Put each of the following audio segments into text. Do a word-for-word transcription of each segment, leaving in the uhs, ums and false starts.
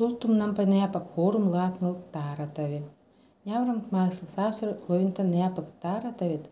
Султум нампа неапак хорум латныл таратави. Няврамт максыл савсыр ловинта неапак таратавит,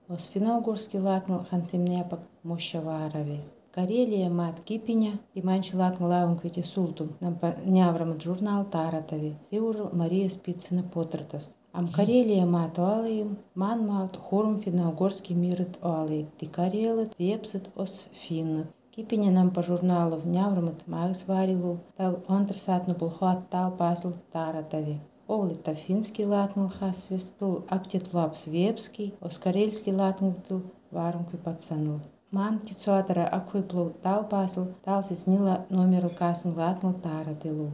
ос финно-угорский латныл хансим неапак мощаварави. Карелия мат кипиня и манчи латныл лаунквити султум нампа няврамт журнал таратави. Теурл Мария Спицына потратас. Ам Карелия мат оалиим, ман мат хорум финно-угорский мирит оалит. Ти карелит, вепсит ос финнат. Кипиня нам по журналу в няврамат магс варилу, тав онтрсатну пулхуат тал пасл таратави. Овлита финский латнул хасвис, тул актит лапс вепский, оскарельский латнул тул варункви пацанул. Ман кицуатара аквиплу тал пасл, тал сиснила номеру касн латнул таратилу.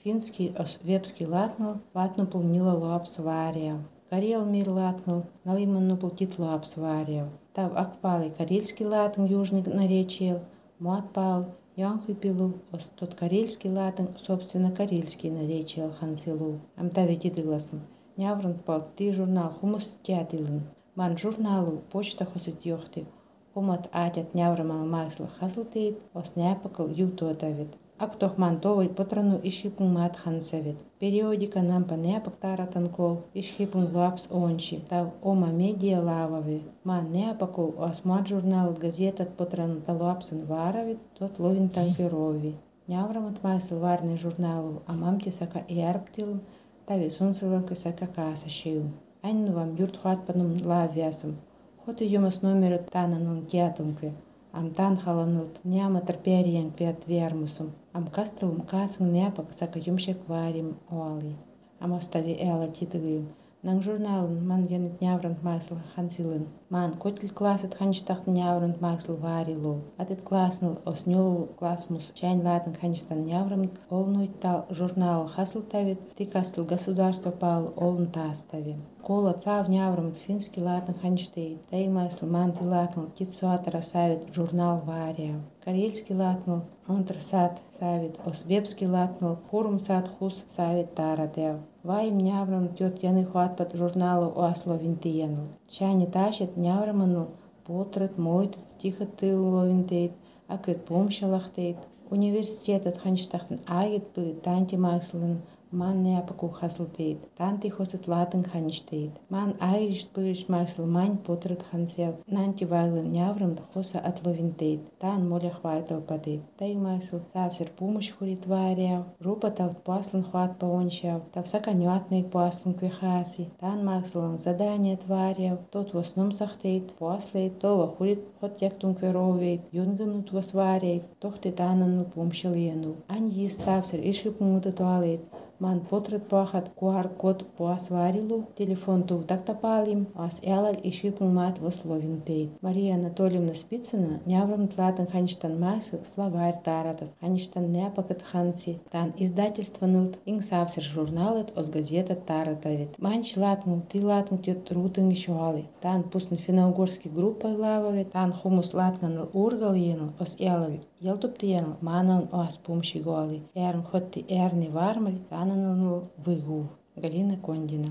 Финский ос вепский латнул, ватну пулнила лапс варяв. Карел мир латнул, налиманну пултит лапс варяв. Тав акпалый карельский латн южный наречиел, муатпал, янхвипилу, ос тот карельский латн, собственно карельский наречиел хансилу. Ам тави тидыгласым. Нявран пал ты журнал хумус тядылын. Ман журналу почта хосит йохты. Умат атят няврамал майсл хаслтейт, ос няпакал юту атавит. Актох мантовый потрану ишипун мат хансавит. Периодика нам по неапак таратанкол, ишипун лапс ончи, тав ома медиа лавави. Ман неапаку осмат журнал газетат потрану талуапсан варавит, тот ловин танкерови. Няврамат майсл варный журналу, а мамти сака и арптилум, тави сунсыланка сака касашиум. Анну вам юрт хатпанум лавясум. Хоту юмас номера тананун тятункве. Ам тан халанылт няматар периен квет вермусум. Ам кастылым касың няпак сака юмшек варим оали. Ам остави эла титылым. Нang журналын ман янет няврант майсыл хансилын. Ман котил классет ханчтахт няврант майсыл варилу. Атет классныл оснёл классмус чайн латын ханчтан няврант олнуйттал журнал хасыл тавит, ты кастыл государство пал олн тастави. Кола цав няврант финский латын ханчтейт, тай майсыл манти латныл титсуатара савит журнал варяв. Карельский латныл онтрсат савит, освепский латныл хурум сат хус савит таратев. Вайм няврам тёт яны хуат под журналу оасло винтиенул. Чайни тащит нявраманул, потрат мойтут стихат тыло винтейт, а кёт помшалахтейт. Университетат ханчтахтын агит бы танти майслын, ман неапаку хаслтейт, танти хосет латын ханчтейт. Ман айришт пыриш майсл мань потрат хансев, нанти вайлын няврам хоса атловинтейт, тан молях вайтал падейт. Тай майсл тавсер помощь хурит варяв, рупа тав паслан хуат паончав, тав саканюатный паслан квихаси, тан майслан задание тваряв, тот в основном сахтейт, паслейт, това хурит хот яктун кверовейт, юнганут вас варейт, тохты танан помшалиену. Ань есть савсер ишипумута туалет. Ман потрат пахат куар код пуас варилу, телефон тув дактапалим, ас элаль ишипумат вословинтейт. Мария Анатольевна Спицына няврам тлатан ханчтан майсыл словарь таратас, ханчтан неапакат ханси, тан издательство нылт, ин савсер журналет ос газета таратавит. Манч латму, ты латму тет рутын ишуали, тан пустын финно-угорский группой лававит, тан хумус латнаныл ургал енул, ос элаль елтуптиенул, манан ос помощи гоали, эрн хотти эрни вармаль, тананул выгул. Галина Кондина.